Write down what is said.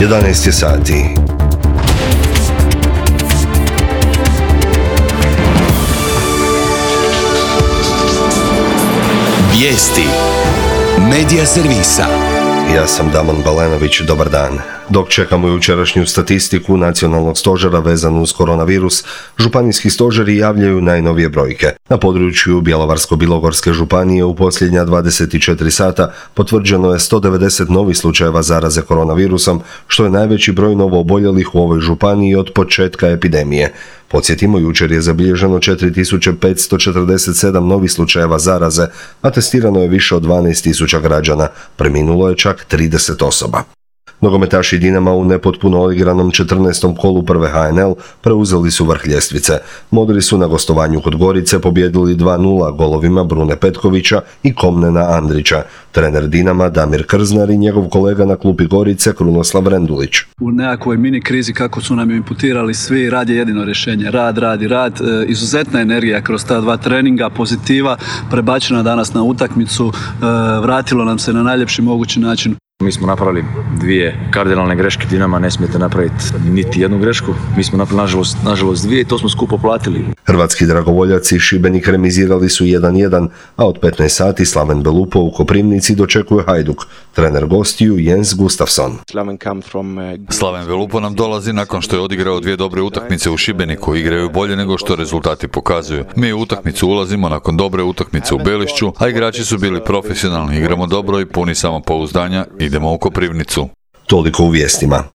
11 je sati. Vijesti Medija servisa. Ja sam Damon Balenović, dobar dan. Dok čekamo jučerašnju statistiku Nacionalnog stožera vezanu uz koronavirus, županijski stožeri javljaju najnovije brojke. Na području Bjelovarsko-bilogorske županije u posljednja 24 sata potvrđeno je 190 novih slučajeva zaraze koronavirusom, što je najveći broj novooboljelih u ovoj županiji od početka epidemije. Podsjetimo, jučer je zabilježeno 4547 novih slučajeva zaraze, a testirano je više od 12.000 građana. Preminulo je čak 30 osoba. Nogometaši Dinama u nepotpuno odigranom 14. kolu prve HNL preuzeli su vrh ljestvice. Modri su na gostovanju kod Gorice pobjedili 2:0 golovima Brune Petkovića i Komnena Andrića. Trener Dinama Damir Krznar i njegov kolega na klupi Gorice Krunoslav Rendulić. U nekakvoj mini krizi kako su nam imputirali svi, rad je jedino rješenje. Rad. Izuzetna energija kroz ta dva treninga, pozitiva prebačena danas na utakmicu, vratilo nam se na najljepši mogući način. Mi smo napravili dvije kardinalne greške, Dinama ne smijete napraviti niti jednu grešku. Mi smo napravili nažalost dvije i to smo skupo platili. Hrvatski dragovoljaci i Šibenik remizirali su 1:1, a od 15 sati Slaven Belupo u Koprivnici dočekuje Hajduk. Trener gostiju Jens Gustafsson. Slaven Belupo nam dolazi nakon što je odigrao dvije dobre utakmice u Šibeniku. Igraju bolje nego što rezultati pokazuju. Mi u utakmicu ulazimo nakon dobre utakmice u Belišću, a igrači su bili profesionalni. Igramo dobro i puni samopouzdanja. Idemo u Koprivnicu. Toliko u vijestima.